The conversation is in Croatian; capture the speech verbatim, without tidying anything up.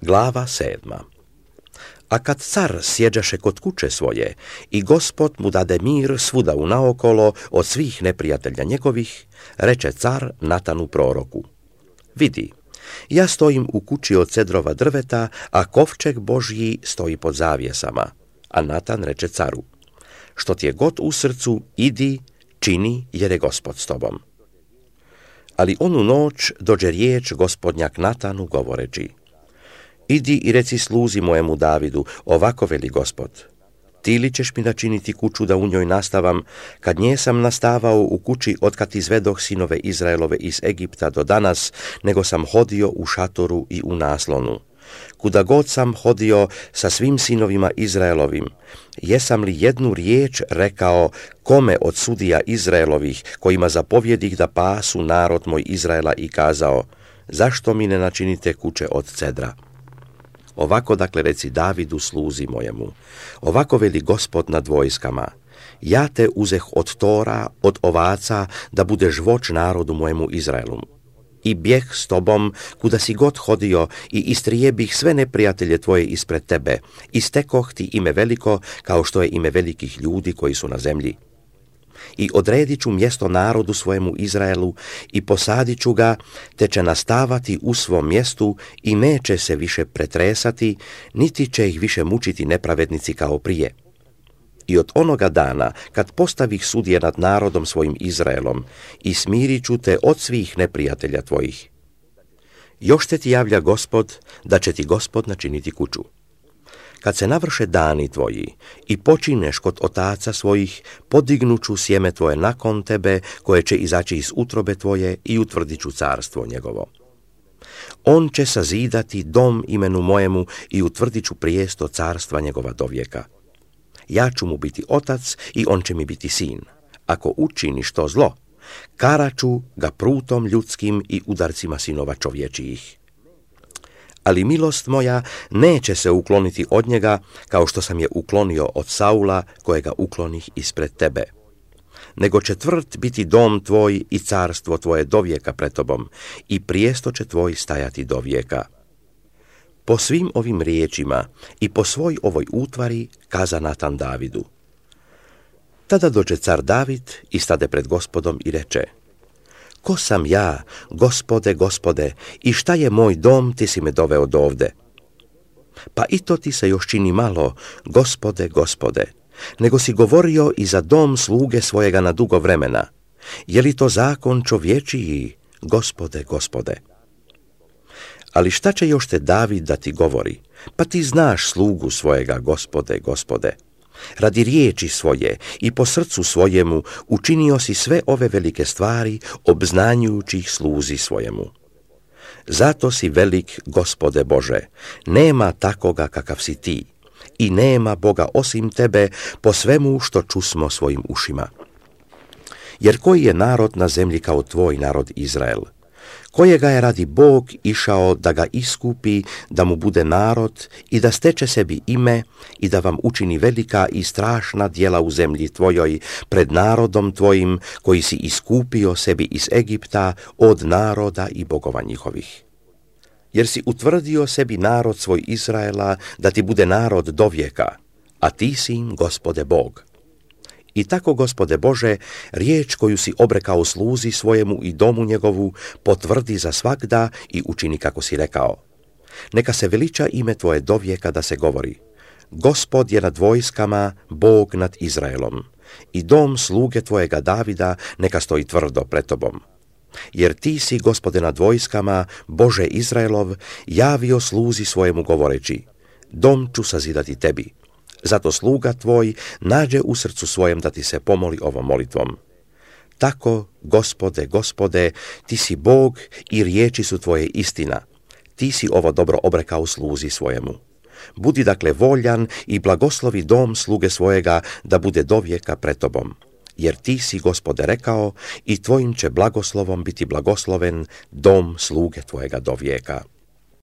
Glava sedma. A kad car sjeđaše kod kuće svoje i Gospod mu dade mir svuda unaokolo od svih neprijatelja njegovih, reče car Natanu proroku: vidi, ja stojim u kući od cedrova drveta, a kovčeg Božji stoji pod zavjesama. A Natan reče caru: što ti je god u srcu, idi, čini, jer je Gospod s tobom. Ali onu noć dođe riječ Gospodnja k Natanu govoreći: idi i reci sluzi mojemu Davidu, ovako veli Gospod: ti li ćeš mi načiniti kuću da u njoj nastavam, kad nje sam nastavao u kući otkad izvedoh sinove Izraelove iz Egipta do danas, nego sam hodio u šatoru i u naslonu. Kuda god sam hodio sa svim sinovima Izraelovim, jesam li jednu riječ rekao kome od sudija Izraelovih, kojima zapovjedih da pasu narod moj Izraela, i kazao: zašto mi ne načinite kuće od cedra? Ovako dakle reci Davidu sluzi mojemu, ovako veli Gospod nad vojskama: ja te uzeh od tora, od ovaca, da budeš voć narodu mojemu Izraelu. I bjeh s tobom kuda si god hodio i istrijebih sve neprijatelje tvoje ispred tebe, i stekoh ti ime veliko kao što je ime velikih ljudi koji su na zemlji. I odredit ću mjesto narodu svojemu Izraelu i posadit ću ga, te će nastavati u svom mjestu i neće se više pretresati, niti će ih više mučiti nepravednici kao prije. I od onoga dana, kad postavih sudije nad narodom svojim Izraelom, i smirit ću te od svih neprijatelja tvojih. Još te ti javlja Gospod, da će ti Gospod načiniti kuću. Kad se navrše dani tvoji i počineš kod otaca svojih, podignuću sjeme tvoje nakon tebe, koje će izaći iz utrobe tvoje, i utvrdit ću carstvo njegovo. On će sazidati dom imenu mojemu i utvrdit ću prijesto carstva njegova dovijeka. Ja ću mu biti otac i on će mi biti sin. Ako učiniš to zlo, karaću ga prutom ljudskim i udarcima sinova čovječijih. Ali milost moja neće se ukloniti od njega, kao što sam je uklonio od Saula, kojega uklonih ispred tebe. Nego će tvrd biti dom tvoj i carstvo tvoje dovijeka pred tobom, i prijesto će tvoj stajati dovijeka. Po svim ovim riječima i po svoj ovoj utvari kaza Natan Davidu. Tada dođe car David i stade pred Gospodom i reče: ko sam ja, Gospode, Gospode, i šta je moj dom, ti si me doveo dovde? Pa i to ti se još čini malo, Gospode, Gospode, nego si govorio i za dom sluge svojega na dugo vremena. Je li to zakon čovječiji, Gospode, Gospode? Ali šta će još te David da ti govori? Pa ti znaš slugu svojega, Gospode, Gospode. Radi riječi svoje i po srcu svojemu učinio si sve ove velike stvari, obznanjujući ih sluzi svojemu. Zato si velik, Gospode Bože, nema takoga kakav si ti, i nema Boga osim tebe po svemu što čusmo svojim ušima. Jer koji je narod na zemlji kao tvoj narod Izrael, kojega je radi Bog išao da ga iskupi, da mu bude narod i da steče sebi ime i da vam učini velika i strašna djela u zemlji tvojoj pred narodom tvojim, koji si iskupio sebi iz Egipta od naroda i bogova njihovih. Jer si utvrdio sebi narod svoj Izraela, da ti bude narod dovijeka, a ti si im, Gospode Bog. I tako, Gospode Bože, riječ koju si obrekao sluzi svojemu i domu njegovu, potvrdi za svagda i učini kako si rekao. Neka se veliča ime tvoje dovijeka, da se govori: Gospod je nad vojskama, Bog nad Izraelom, i dom sluge tvojega Davida neka stoji tvrdo pred tobom. Jer ti si, Gospode nad vojskama, Bože Izraelov, javio sluzi svojemu govoreći: dom ću sazidati tebi. Zato sluga tvoj nađe u srcu svojem da ti se pomoli ovom molitvom. Tako, Gospode, Gospode, ti si Bog i riječi su tvoje istina. Ti si ovo dobro obrekao sluzi svojemu. Budi dakle voljan i blagoslovi dom sluge svojega da bude dovijeka pred tobom. Jer ti si, Gospode, rekao, i tvojim će blagoslovom biti blagosloven dom sluge tvojega dovijeka.